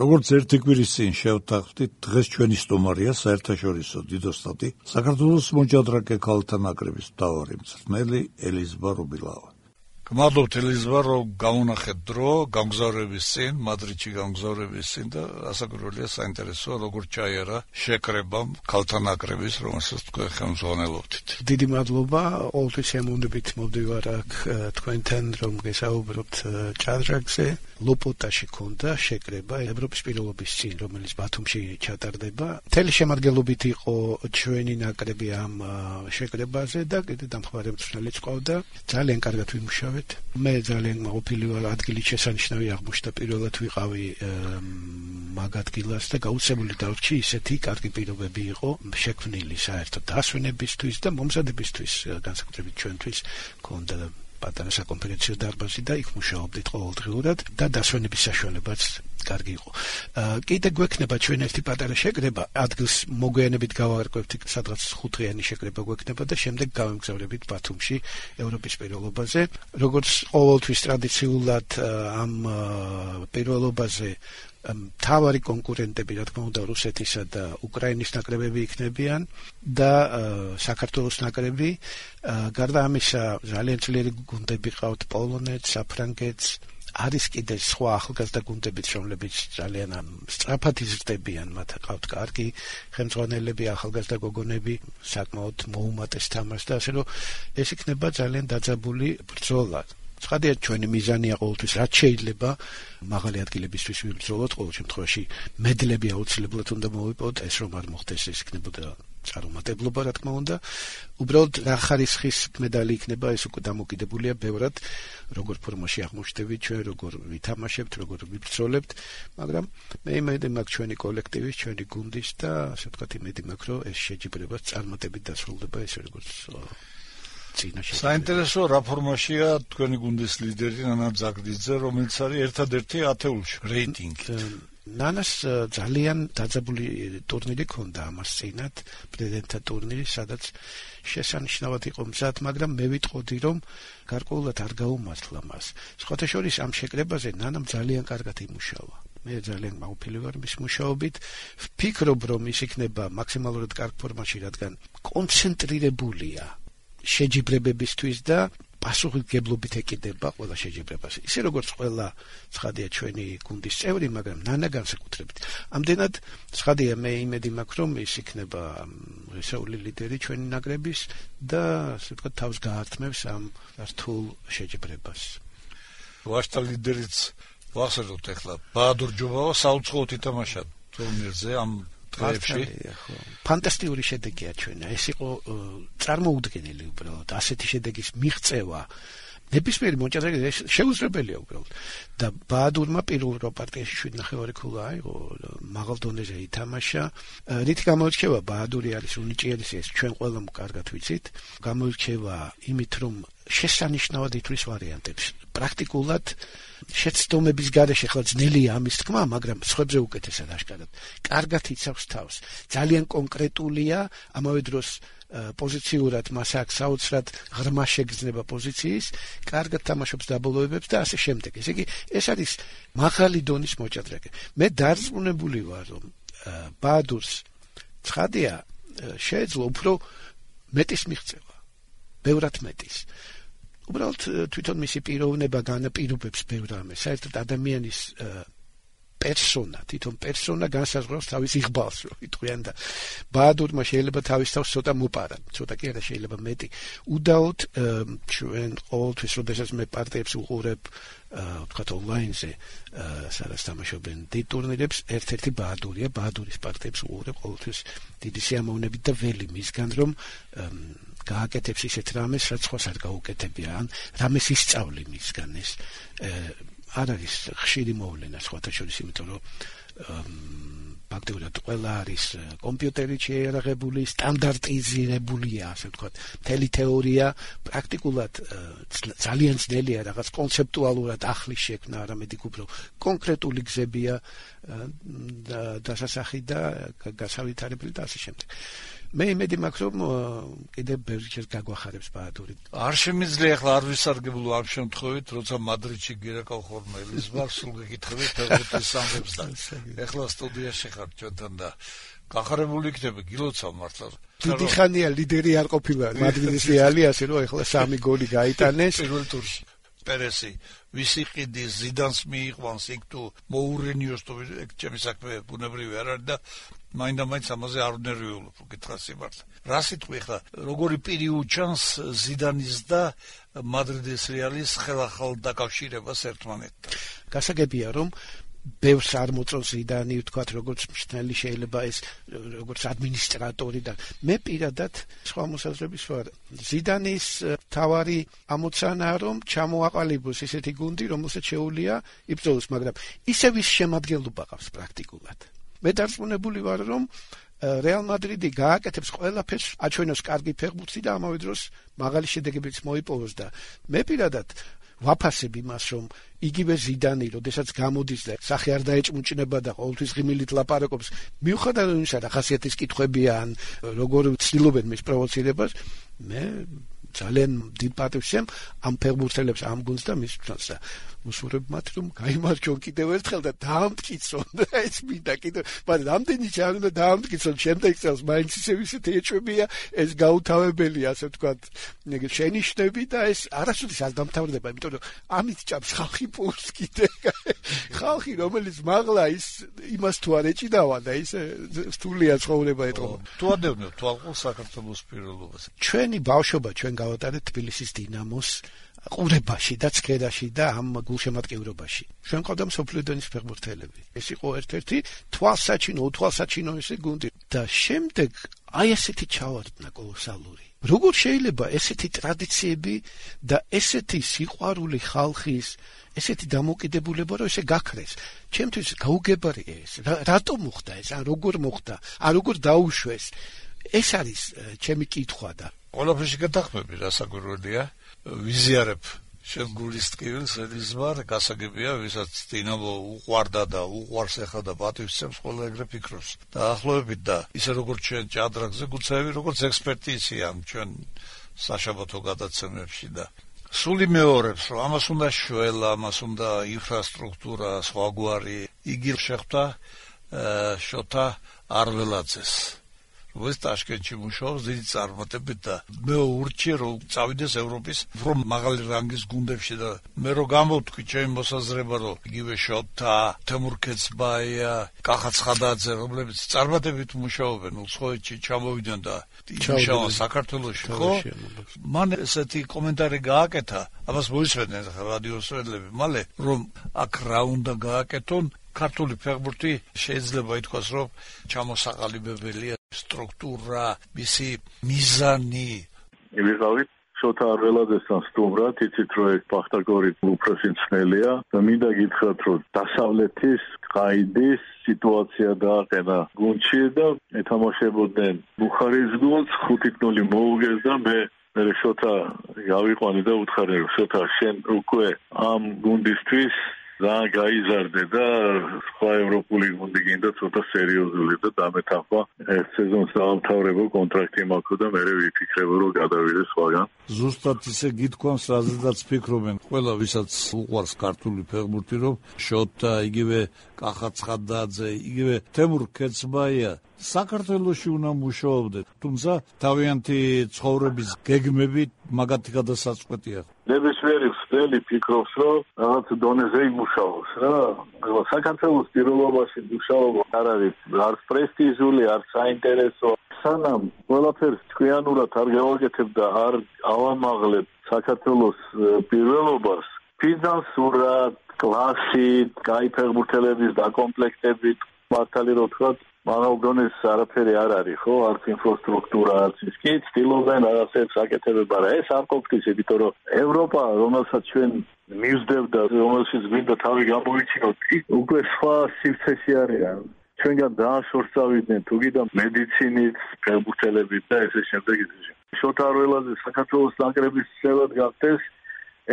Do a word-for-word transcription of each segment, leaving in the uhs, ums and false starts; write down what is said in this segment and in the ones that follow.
როგორც ერთი კვირის წინ შევთანხმდით, დღეს ჩვენი სტუმარია საერთაშორისო დიდოსტატი საქართველოს მოჭადრაკე ქალთა ნაკრების მთავარი მწვრთნელი ელიზბარ უბილავა. გმადლობთ ელიზბარ, რომ გამონახეთ დრო გამგზავრების წინ, მადრიდში გამგზავრების წინ და ასაკურველია საინტერესოა როგორ ჩაიარა შეკრებამ ქალთა ნაკრების, რომელსაც თქვენ ხელმძღვანელობთ. დიდი მადლობა, ყოველთვის შემოვნებით მოვდივარ აქ თქვენთან, რომ გესაუბროთ ჭადრაკზე. ლოპოტაში ქონდა შეკრება ევროპის პირველობის წინ, რომელიც ბათუმში ჩატარდება. მთელი შემადგენლობით იყო ჩვენი ნაკრები ამ შეკრებაზე და კიდე დამხმარე მწვრთნელიც ყავდა. ძალიან კარგად ვიმუშავეთ. მე ძალიან მაყოფილი ვარ, ადგილი შესანიშნავი აღმოჩნდა, პირველად ვიყავი მაგ ადგილას და გაუცემული დარჩი, ისეთი კარგი პირობები იყო შექმნილი საერთოდ დასვენებისთვის და მომზადებისთვის, განსაკუთრებით ჩვენთვის ქონდა პატარა საკონფერენციო დარბაზი და იქ მუშაობდით ყოველდღიურად და დასვენების საშუალებაც კარგი იყო. კიდე გვექნება ჩვენ ერთი პატარა შეკრება, ადგილს მოგვიანებით გავარკვევთ, სადღაც ხუთდღიანი შეკრება გვექნება და შემდეგ გავემგზავრებით ბათუმში ევროპის პირველობაზე. როგორც ყოველთვის ტრადიციულად ამ პირველობაზე მთავარი კონკურენტები, რა თქმა უნდა, რუსეთისა და უკრაინის ნაკრებები იქნებიან და საქართველოს ნაკრები. გარდა ამისა, ძალიან ძლიერი გუნდები ყავთ, პოლონეთს, საფრანგეთს, არის კიდე სხვა ახალგაზრდა გუნდებიც, რომლებიც ძალიან სწრაფად იზრდებიან, მათ ყავთ კარგი ხელმძღვანელები, ახალგაზრდა გოგონები, საკმაოდ მოუმატეს თამაშს და ასე რომ ეს იქნება ძალიან დაძაბული ბრძოლა. ცხადია, ჩვენი მიზანია ყოველთვის რაც შეიძლება მაღალი ადგილებისთვის ვიბრძოლოთ, ყოველ შემთხვევაში მედლები აუცილებლად უნდა მოვიპოვოთ, ეს რომ არ მოხდეს, ეს იქნებოდა წარუმატებლობა, რა თქმა უნდა. უბრალოდ რა ხარისხის მედალი იქნება, ეს უკვე დამოკიდებულია ბევრად, როგორ ფორმაში აღმოჩნდებით ჩვენ, როგორ ვითამაშებთ, როგორ ვიბრძოლებთ, მაგრამ მე იმედი მაქვს ჩვენი კოლექტივის, ჩვენი გუნდის და ასე ვთქვათ, იმედი მაქვს, რომ ეს შეჯიბრება წარმატებით დასრულდება, ესე როგორც საინტერესო რა ფორმაშია თქვენი გუნდის ლიდერი ნანა ძაგდიძე, რომელიც არის ერთადერთი ათეულში რეიტინგი. ნანას ძალიან დაძაბული ტურნირი ქონდა ამას წინათ, პრეზიდენტთა ტურნირი, სადაც შესანიშნავად იყო მზად, მაგრამ მე ვიტყოდი, რომ გარკვეულად არ გაუმართლა მას. სხვათა შორის ამ შეკრებაზე ნანამ ძალიან კარგად იმუშავა. მე ძალიან მაყოფილი ვარ მის მუშაობით. ვფიქრობ, რომ ის იქნება მაქსიმალურად კარგ ფორმაში, რადგან კონცენტრირებულია შეჯიბრებებისთვის და პასუხისმგებლობით ეკიდება ყველა შეჯიბრებას. ისე როგორც ყველა ცხადია ჩვენი გუნდის წევრი, მაგრამ ნანა განსაკუთრებით. ამდენად ცხადია, მე იმედი მაქვს, რომ ის იქნება რესეული ლიდერი ჩვენი ნაკრების და ასე ვთქვათ, თავს გაართმევს ამ რთულ შეჯიბრებას. ვაშტა ლიდერიც ვახსენოთ ახლა ბაადურ ჯობავა საუცხოოდ ითამაშა ტურნირზე ამ დღეებში. ფანტასტიკური შედეგია ჩვენა. ეს იყო წარმოუდგენელი უბრალოდ. ასეთი შედეგის მიღწევა ნებისმიერი მოჭადრაკე შეუძლებელია უბრალოდ. და ბაადურმა პირველ რო პარტიაში შვიდ ნახევარი ქულა აიღო, მაღალ დონეზე ითამაშა. რითი გამოირჩევა ბაადური არის უნიჭიერესი, ეს ჩვენ ყველამ კარგად ვიცით. გამოირჩევა იმით, რომ შესანიშნავად ითვლის ვარიანტებს. პრაქტიკულად შეცდომების გარეშე ხლა ძნელია ამის თქმა, მაგრამ სხვებზე უკეთესად აშკარად. კარგად იცავს თავს. ძალიან კონკრეტულია, ამავე დროს პოზიციურად მას აქვს საოცრად ღრმა შეგრძნება პოზიციის, კარგად თამაშობს დაბოლოებებს და ასე შემდეგ. ესე იგი, ეს არის მაღალი დონის მოჭადრაკე. მე დარწმუნებული ვარ, რომ ბაადურს ცხადია შეეძლო უფრო მეტის მიღწევა, ბევრად მეტის. უბრალოდ თვითონ მისი პიროვნება განაპირობებს ბევრ ამას. საერთოდ ადამიანის პერსონა, თვითონ პერსონა განსაზღვრავს თავის იღბალს, რომ იტყვიან და ბაადურმა შეიძლება თავის თავს ცოტა მოპარა, ცოტა კი არა, შეიძლება მეტი. უდაოდ ჩვენ ყოველთვის, როდესაც მე პარტიებს უყურებ, ვთქვათ ონლაინზე, სადაც თამაშობენ დიდ ტურნირებს, ერთ-ერთი ბაადურია, ბაადურის პარტიებს უყურებ ყოველთვის დიდი სიამოვნებით და ველი მისგან, რომ გააკეთებს ისეთ რამეს, რაც სხვას არ გაუკეთებია, ან რამეს ისწავლი მისგან ეს. არ არის ხშირი მოვლენა სხვათა შორის, იმიტომ რომ ფაქტობრივად ყველა არის კომპიუტერით შეიარაღებული, სტანდარტიზირებულია, ასე ვთქვათ, მთელი თეორია, პრაქტიკულად ძალიან ძნელია რაღაც კონცეპტუალურად ახლის შექმნა, არამედ იქ უფრო კონკრეტული გზებია დასასახი და გასავითარებელი და ასე შემდეგ. მე იმედი მაქვს რომ კიდევ ბევრჯერ გაგვახარებს ბაადური. არ შემიძლია ახლა არ ვისარგებლო ამ შემთხვევით, როცა მადრიდში გირეკავ ხოლმე ელიზბარ, სულ გეკითხებით ფეხბურთის სამყაროს და ახლა სტუდიაში ხარ ჩვენთან და გახარებული იქნება გილოცავ მართლა. დიდი ხანია ლიდერი არ ყოფილა მადრიდის რეალი, ასე რომ ახლა სამი გოლი გაიტანეს პირველ ტურში. პერესი ვისი ყიდი ზიდანს მიიყვანს იქ თუ მოურენიოს თუ ეგ ჩემი საქმე ბუნებრივი არ არის და მაინდა-მაინც ამაზე არ ვნერვიულობ უკითხა სიმართლე. რა სიტყვი ხა როგორი პირი უჩანს ზიდანის და მადრიდის რეალის ხელახალ დაკავშირებას ერთმანეთთან. გასაგებია რომ ბევრს არ მოწონს ზიდანი, ვთქვათ, როგორც მშთნელი შეიძლება ეს როგორც ადმინისტრატორი და მე პირადად სხვა მოსაზრების ვარ. ზიდანის თავარი ამოცანაა რომ ჩამოაყალიბოს ესეთი გუნდი, რომელსაც შეუძლია იბრძოლოს, მაგრამ ისევ ის შემადგენლობა ყავს პრაქტიკულად. მე დარწმუნებული ვარ რომ რეალ მადრიდი გააკეთებს ყველაფერს, აჩვენოს კარგი ფეხბურთი და ამავე დროს მაღალი შედეგებიც მოიპოვოს და მე პირადად ვაფასებ იმას, რომ იგივე ზიდანი, როდესაც გამოდის და სახე არ დაეჭმუჭნება და ყოველთვის ღიმილით ლაპარაკობს, მიუხედავად იმისა, რა ხასიათის კითხვებია ან როგორ ცდილობენ მის პროვოცირებას, მე ძალიან დიდ პატივს ვსვამ ამ ფეხბურთელებს, ამ გუნდს და მის ფსონს და უსურვებ მათ, რომ გაიმარჯვონ კიდევ ერთხელ და დაამტკიცონ და ეს მინდა კიდევ, მაგრამ რამდენი ჯერ უნდა დაამტკიცონ შემდეგ წელს, მაინც ისევ ისეთი ეჭვებია, ეს გაუთავებელია, ასე ვთქვათ, შენიშვნები და ეს არასოდეს არ დამთავრდება, იმიტომ რომ ამით ჭამს ხალხი პულს კიდე. ხალხი, რომელიც მაღლა ის იმას თუ არ ეჭიდავა და ის სტულია ცხოვრება ეტყობა. თუ ადევნებ თვალყურს საქართველოს პირველობას. ჩვენი ბავშვობა ჩვენ გავატარეთ თბილისის დინამოს ყურებაში და ცქერაში და ამ გულშემატკივრობაში. ჩვენ ყავდა მსოფლიო დონის ფეხბურთელები. ეს იყო ერთ-ერთი თვალსაჩინო, უთვალსაჩინო ესე გუნდი და შემდეგ აი ესეთი ჩავარდნა კოლოსალური. როგორ შეიძლება ესეთი ტრადიციები და ესეთი სიყვარული ხალხის, ესეთი დამოკიდებულება რომ ესე გაქრეს? ჩემთვის გაუგებარია ეს. რატომ მოხდა ეს? ან როგორ მოხდა? ან როგორ დაუშვეს? ეს არის ჩემი კითხვა და ყველაფერში გადახმები რასაკვირველია. ვიზიარებ შენ გულის ტკივილს ელიზბარ, გასაგებია, ვისაც დინამო უყვარდა და უყვარს ახლა და პატივისცემს, ყველა ეგრე ფიქრობს. დაახლოებით და ისე როგორც ჩვენ ჭადრაგზე გუცაევი, როგორც ექსპერტი იციან ჩვენ საშაბათო გადაცემებში და სული მეორებს, რომ ამას უნდა შველა, ამას უნდა ინფრასტრუქტურა, სხვაგვარი. იგი შეხვდა შოთა არველაძეს. ეს ტაშკენტში მუშაობს დიდი წარმატებით და მე ურჩიე რომ წავიდეს ევროპის უფრო მაღალი რანგის გუნდებში და მე რომ გამოვთქვი ჩემი მოსაზრება რომ იგივე შოთა, თემურ ქეცბაია, კახა ცხადაძე, რომლებიც წარმატებით მუშაობენ უცხოეთში ჩამოვიდნენ და იმუშავა საქართველოში, ხო? მან ესეთი კომენტარი გააკეთა, ამას მოისმენდნენ რადიოს ვედლები, მალე რომ აქ რა უნდა გააკეთონ ქართული ფეხბურთი შეიძლება ითქვას რომ ჩამოსაყალიბებელია სტრუქტურა, მისი მიზანი. ვიყავით შოთა არველაძესთან სტუმრად, იცით რომ ეს ბახტაგორი უფროსი მცნელია და მინდა გითხრათ რომ დასავლეთის ყაიდის სიტუაცია დააყენა გუნდში და ეთამაშებოდნენ ბუხარის გუნდს ხუთი ნული მოუგეს და მე მე შოთა გავიყვანე და უთხარი რომ შოთა შენ უკვე ამ გუნდისთვის და გაიზარდე და სხვა ევროპული გუნდი გინდა ცოტა სერიოზული და დამეთახვა ეს სეზონს დაამთავრებო კონტრაქტი მაქვს და მე ვიფიქრებო რომ გადავიდე სხვაგან. ზუსტად ისე გითქვამს, რაზედაც ფიქრობენ ყველა, ვისაც უყვარს ქართული ფეხბურთი, რომ შოთა, იგივე კახა ცხადაძე, იგივე თემურ ქეცბაია საქართველოში უნდა მუშაობდნენ, თუმცა თავიანთი ცხოვრების გეგმები მაგათი გადასაწყვეტია. ნებისმიერი ხსნელი ფიქრობს, რომ რაღაც დონეზე იმუშაოს რა. საქართველოს პირველობაში მუშაობა არ არის არც პრესტიჟული, არც საინტერესო. სანამ ყველაფერს თქვიანურად არ გავაკეთებ და არ ავამაღლებ საქართველოს პირველობას, ფინანსურად, კლასით, კაი ფეხბურთელების დაკომპლექტებით, მართალი რო ვთქვათ, მაღალ დონეს არაფერი არ არის, ხო? არც ინფრასტრუქტურა, არც ის კი ცდილობენ რაღაცებს აკეთებება რა. ეს არ ყოფნის, იმიტომ რომ ევროპა, რომელსაც ჩვენ მივსდევ და რომელშიც გვინდა თავი გამოიჩინოთ, უკვე სხვა სივრცეში არის. ჩვენგან დააშორს წავიდნენ თუ კიდე მედიცინით, ფეხბურთელებით და ესე შემდეგ. შოთა არველაძე საქართველოს ნაკრების წევრად გახდეს,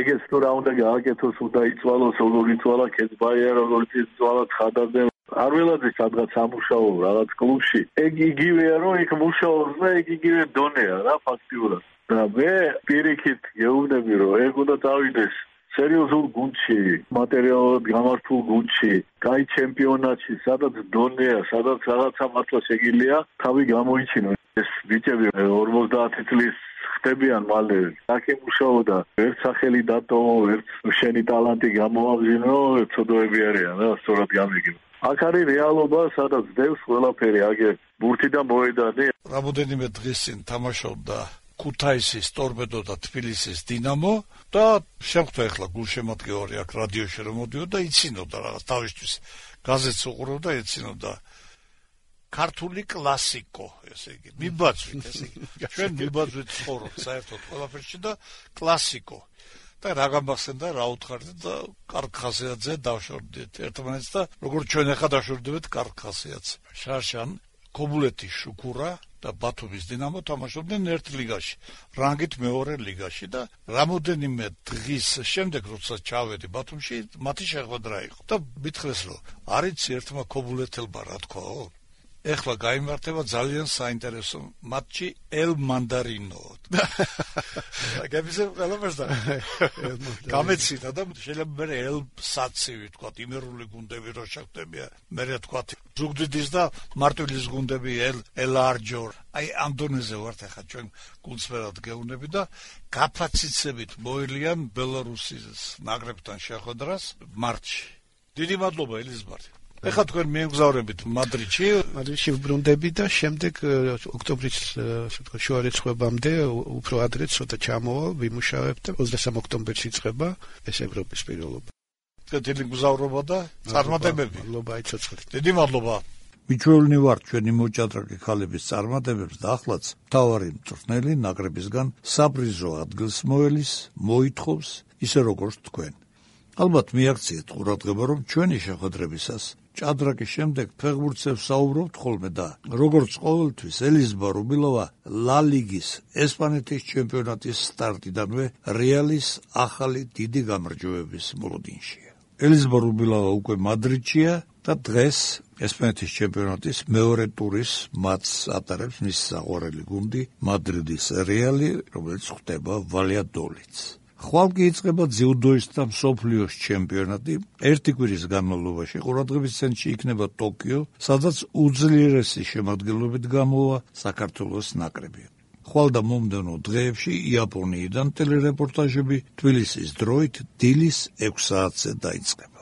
ეგეც თუ რა უნდა გააკეთოს, უნდა იწვალოს, როგორ იწვალა ქეცბაია, როგორ იწვალა ცხადაძე. არველაძე სადღაც ამუშაო რაღაც კლუბში. ეგ იგივეა, რომ იქ მუშაობს და ეგ იგივე დონეა რა ფაქტიურად. და მე პირიქით გეუბნები, რომ ეგ უნდა დავიდეს სერიოზულ გუნდში, მატერიალურად გამართულ გუნდში, კაი ჩემპიონატში, სადაც დონეა, სადაც რაღაცა მართლა შეგიძლია თავი გამოიჩინო. ეს ბიჭები ორმოცდაათი წლის ხდებიან მალე. აქ იმუშაოდა, ერთ სახელი დატოვო, ერთ შენი ტალანტი გამოავზინო, ცოდოები არიან რა, სწორად გამიგებ. აქ არის რეალობა, სადაც დევს ყველაფერი, აგერ ბურთი და მოედანი. რამოდენიმე დღის წინ თამაშობდა ქუთაისის ტორპედო და თბილისის დინამო და შემხვდა ახლა გულშემატკივარი აქ რადიოში რომ მოდიოდა და იცინოდა რაღაც თავისთვის გაზეთს უყურებდა და იცინოდა ქართული კლასიკო, ესე იგი, მიბაძვით, ესე იგი. ჩვენ მიბაძვით ცხოვრობთ საერთოდ ყველაფერში და კლასიკო. და რა გამახსენდა, რა უთხარდით და კარგ ხასიათზე დავშორდით ერთმანეთს და როგორც ჩვენ ახლა დავშორდებით კარგ ხასიათზე. შარშან, ქობულეთის შუქურა და ბათუმის დინამო თამაშობდნენ ერთ ლიგაში, რანგით მეორე ლიგაში და რამოდენიმე დღის შემდეგ, როცა ჩავედი ბათუმში, მათი შეხვედრა იყო და მითხრეს, რომ არიც ერთმა ქობულეთელმა რა თქვაო? ეხლა გაიმართება ძალიან საინტერესო მატჩი ელ მანდარინო. გებისებ ყველაფერს და გამეცინა და შეიძლება მე ელ საცივი თქვა, იმერული გუნდები რო შეხვდებიან, მე თქვა ზუგდიდის და მარტვილის გუნდები ელ ელარჯორ. აი ამ დონეზე ვართ ახლა ჩვენ გულწრფელად გეუბნები და გაფაციცებით მოელიან ბელარუსის ნაკრებთან შეხვედრას მარტში. დიდი მადლობა ელიზბარ. ეხლა თქვენ მიემგზავრებით მადრიდში, მადრიდში ვბრუნდები და შემდეგ ოქტომბრის შუარიცხვებამდე უფრო ადრე ცოტა ჩამოვალ, ვიმუშავებ და ოცდამესამე ოქტომბერში იწყება ეს ევროპის პირველობა. დიდი მგზავრობა და წარმატებები. მადლობა, იცოცხლეთ. დიდი მადლობა. მიჩვეულნი ვართ ჩვენი მოჭადრაკე ქალების წარმატებებს და ახლაც მთავარი მწვრთნელი ნაკრებისგან საბრიზო ადგილს მოელის, მოითხოვს, ისე როგორც თქვენ. ალბათ მიაქციეთ ყურადღება, რომ ჩვენი შეხვედრებისას ჭადრაკის შემდეგ ფეხბურთს საუბრობთ ხოლმე და როგორც ყოველთვის ელიზბარ რუბილოვა ლა ლიგის ესპანეთის ჩემპიონატის სტარტიდანვე რეალის ახალი დიდი გამარჯვებების მოლოდინშია. ელიზბარ რუბილოვა უკვე მადრიდშია და დღეს ესპანეთის ჩემპიონატის მეორე ტურის მატჩს ატარებს მის საყვარელი გუნდი მადრიდის რეალი, რომელიც ხვდება ვალიადოლიდს. ხვალ კი იწყება ძიუდოისტთა მსოფლიოს ჩემპიონატი. ერთი კვირის განმავლობაში ყურადღების ცენტრში იქნება ტოკიო, სადაც უძლიერესი შემადგენლობით გამოვა საქართველოს ნაკრები. ხვალ და მომდევნო დღეებში იაპონიიდან ტელერეპორტაჟები თბილისის დროით დილის ექვს საათზე დაიწყება.